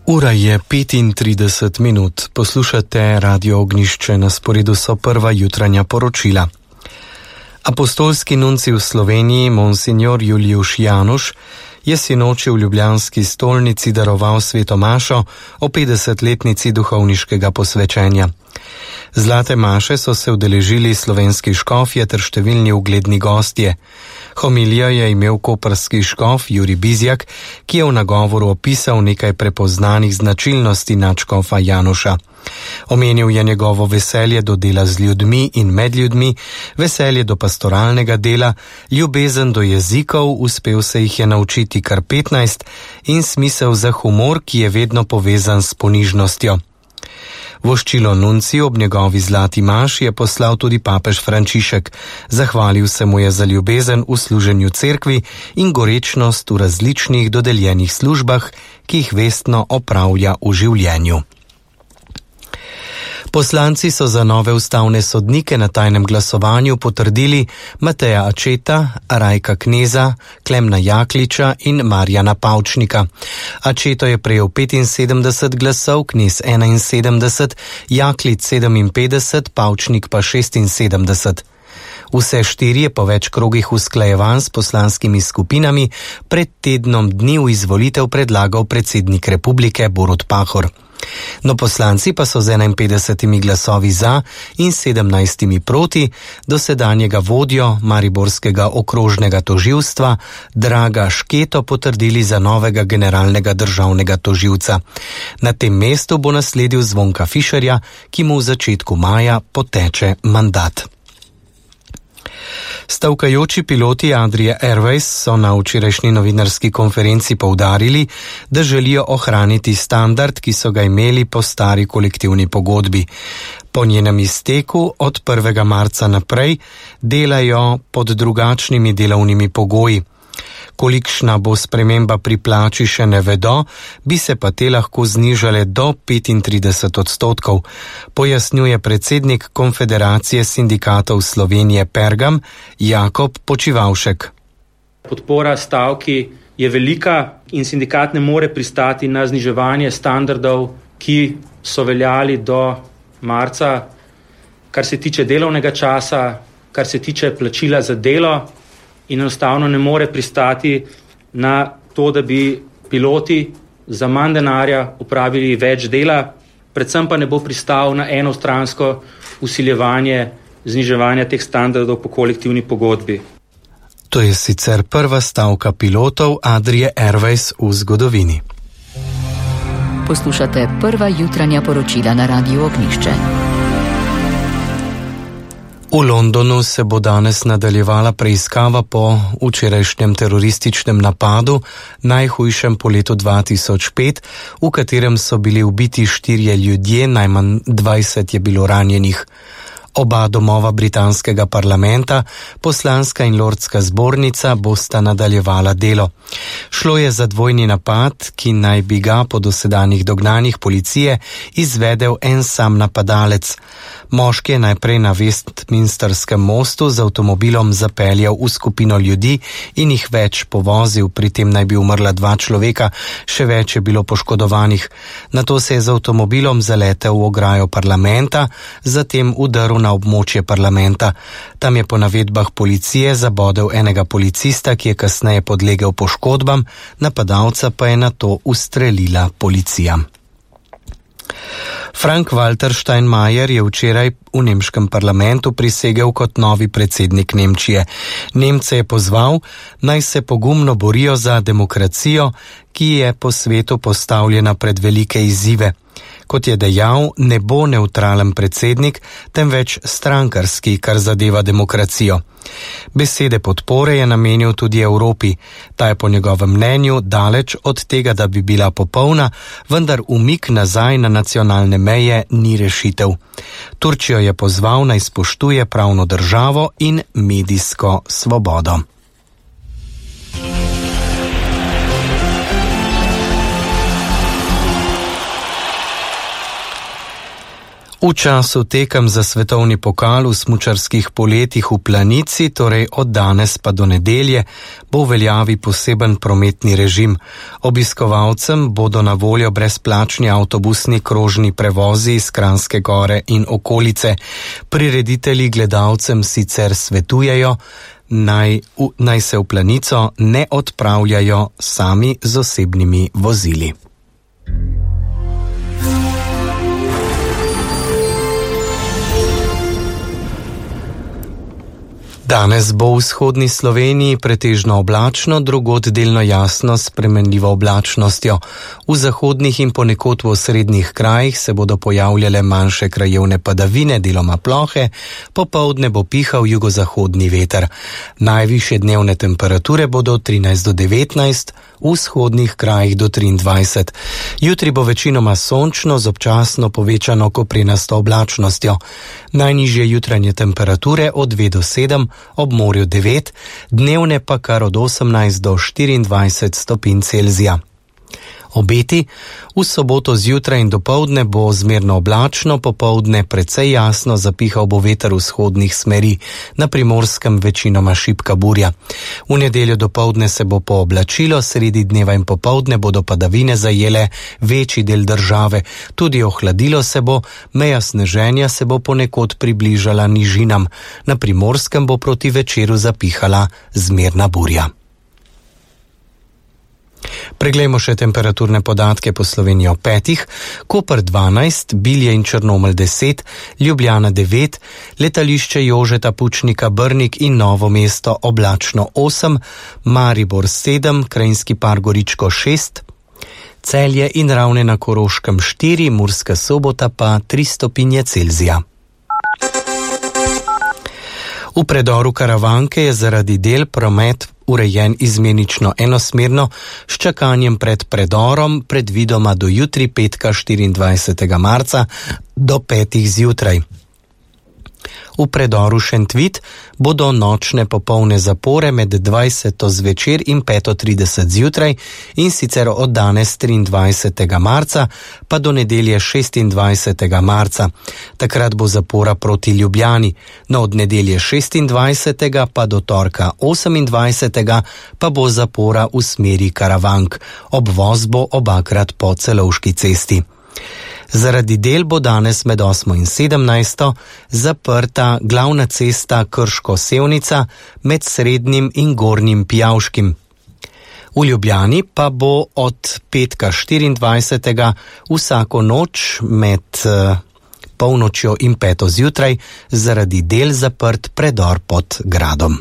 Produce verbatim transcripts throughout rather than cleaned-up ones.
Ura je petintrideset minut. Poslušate Radio Ognjišče, na sporedu so prva jutranja poročila. Apostolski nunci v Sloveniji, monsignor Juliuš Januš, je sinoči v ljubljanski stolnici daroval sveto mašo o petdesetletnici duhovniškega posvečenja. Zlate maše so se udeležili slovenski škofje ter številni ugledni gostje. Homilijo je imel koprski škof Jurij Bizjak, ki je v nagovoru opisal nekaj prepoznanih značilnosti nadškofa Januša. Omenil je njegovo veselje do dela z ljudmi in med ljudmi, veselje do pastoralnega dela, ljubezen do jezikov, uspel se jih je naučiti kar petnajst, in smisel za humor, ki je vedno povezan s ponižnostjo. Voščilo nunciju ob njegovi zlati maši je poslal tudi papež Frančišek. Zahvalil se mu je za ljubezen v služenju cerkvi in gorečnost v različnih dodeljenih službah, ki jih vestno opravlja v življenju. Poslanci so za nove ustavne sodnike na tajnem glasovanju potrdili Mateja Ačeta, Rajka Kneza, Klemna Jakliča in Marjana Pavčnika. Ačeto je prejel petinsedemdeset glasov, Knez enainsedemdeset, Jaklič sedeminpetdeset, Pavčnik pa šestinsedemdeset. Vse štiri je po več krogih usklajevanj s poslanskimi skupinami pred tednom dni v izvolitev predlagal predsednik republike Borut Pahor. No, poslanci pa so z enainpetdesetimi glasovi za in sedemnajstimi proti dosedanjega vodjo mariborskega okrožnega tožilstva Draga Šketo potrdili za novega generalnega državnega tožilca. Na tem mestu bo nasledil Zvonka Fišerja, ki mu v začetku maja poteče mandat. Stavkajoči piloti Adria Airways so na včerajšnji novinarski konferenci poudarili, da želijo ohraniti standard, ki so ga imeli po stari kolektivni pogodbi. Po njenem izteku od prvega marca naprej delajo pod drugačnimi delovnimi pogoji. Kolikšna bo sprememba pri plači še ne vedo, bi se pa te lahko znižale do petintrideset odstotkov, pojasnjuje predsednik Konfederacije sindikatov Slovenije Pergam Jakob Počivavšek. Podpora stavki je velika in sindikat ne more pristati na zniževanje standardov, ki so veljali do marca, kar se tiče delovnega časa, kar se tiče plačila za delo. In enostavno ne more pristati na to, da bi piloti za manj denarja upravili več dela, predvsem pa ne bo pristal na enostransko vsiljevanje zniževanja teh standardov po kolektivni pogodbi. To je sicer prva stavka pilotov Adrie Airways v zgodovini. Poslušate prva jutranja poročila na Radiu Ognjišče. V Londonu se bo danes nadaljevala preiskava po včerajšnjem terorističnem napadu, najhujšem po letu dva tisoč pet, v katerem so bili ubiti štirje ljudje, najmanj dvajset je bilo ranjenih. Oba domova britanskega parlamenta, poslanska in lordska zbornica, bosta nadaljevala delo. Šlo je za dvojni napad, ki naj bi ga po dosedanjih dognanjih policije izvedel en sam napadalec. Moški je najprej na Westminsterskem mostu z avtomobilom zapeljal v skupino ljudi in jih več povozil, pri tem naj bi umrla dva človeka, še več je bilo poškodovanih. Nato se je z avtomobilom zaletel v ograjo parlamenta, zatem udrl na območje parlamenta. Tam je po navedbah policije zabodel enega policista, ki je kasneje podlegel poškodbam, napadalca pa je nato ustrelila policija. Frank-Walter Steinmeier je včeraj v nemškem parlamentu prisegel kot novi predsednik Nemčije. Nemce je pozval, naj se pogumno borijo za demokracijo, ki je po svetu postavljena pred velike izzive. Kot je dejal, ne bo nevtralen predsednik, temveč strankarski, kar zadeva demokracijo. Besede podpore je namenil tudi Evropi. Ta je po njegovem mnenju daleč od tega, da bi bila popolna, vendar umik nazaj na nacionalne meje ni rešitev. Turčijo je pozval, naj spoštuje pravno državo in medijsko svobodo. V času tekem za svetovni pokal v smučarskih poletih v Planici, torej od danes pa do nedelje, bo v veljavi poseben prometni režim. Obiskovalcem bodo na voljo brezplačni avtobusni krožni prevozi iz Kranjske Gore in okolice. Prireditelji gledalcem sicer svetujejo, naj, v, naj se v Planico ne odpravljajo sami z osebnimi vozili. Danes bo v vzhodni Sloveniji pretežno oblačno, drugod delno jasno s spremenljivo oblačnostjo. V zahodnih in ponekod v osrednjih krajih se bodo pojavljale manjše krajevne padavine, deloma plohe, popoldne bo pihal jugozahodni veter. Najvišje dnevne temperature bodo trinajst do devetnajst, v vzhodnih krajih do triindvajset. Jutri bo večinoma sončno z občasno povečano koprenasto oblačnostjo. Najnižje jutranje temperature od dve do sedem, ob morju devet, dnevne pa kar od osemnajst do štiriindvajset stopinj Celzija. Obeti: v soboto zjutraj in dopoldne bo zmerno oblačno, popoldne precej jasno, zapihal bo veter vzhodnih smeri, na Primorskem večinoma šibka burja. V nedeljo dopoldne se bo pooblačilo, sredi dneva in popoldne bodo padavine zajele večji del države, tudi ohladilo se bo, meja sneženja se bo ponekod približala nižinam, na Primorskem bo proti večeru zapihala zmerna burja. Preglejmo še temperaturne podatke po Sloveniji o petih. Koper dvanajst, Bilje in Črnomelj deset, Ljubljana devet, letališče Jožeta Pučnika Brnik in Novo mesto oblačno osem, Maribor sedem, Krajinski par Goričko šest, Celje in Ravne na Koroškem štiri, Murska Sobota pa tri stopinje Celzija. V predoru Karavanke je zaradi del promet urejen izmenično enosmerno, s čakanjem pred predorom predvidoma do jutri petka štiriindvajsetega marca do petih zjutraj. V predoru Šentvit bodo nočne popolne zapore med dvajseto zvečer in peto trideset zjutraj, in sicer od danes triindvajsetega marca pa do nedelje šestindvajsetega marca. Takrat bo zapora proti Ljubljani, no od nedelje šestindvajsetega pa do torka osemindvajsetega pa bo zapora v smeri Karavank. Obvoz bo obakrat po Celovški cesti. Zaradi del bo danes med osmo in sedemnajsto zaprta glavna cesta Krško-Sevnica med Srednjim in Gornjim Pijavškim. V Ljubljani pa bo od petka štiriindvajsetega vsako noč med uh, polnočjo in peto zjutraj zaradi del zaprt predor pod gradom.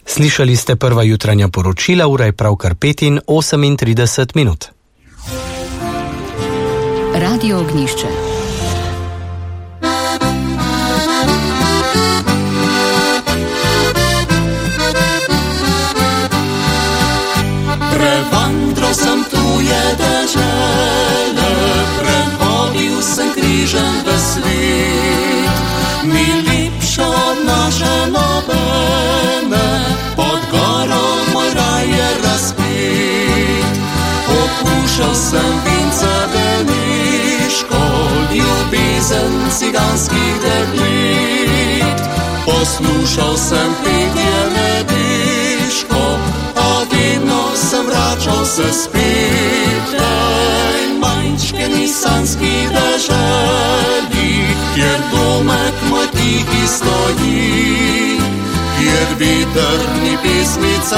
Slišali ste prva jutranja poročila, ura je pravkar pet in osemintrideset minut. Radio Ognjišče. Prevandral sem tuje dežele, prehodil sem križem v svet, ni lepša od naše nobene, pod goro moj raj je razpet. Okušal sem vince Beneško, ljubezen ciganskih deklet, poslušal sem petje nebeško, a vedno sem vračal se spet. Tej manjčkeni sanski deželi, kjer domek moj tihi stoji, kjer veter ni pesmice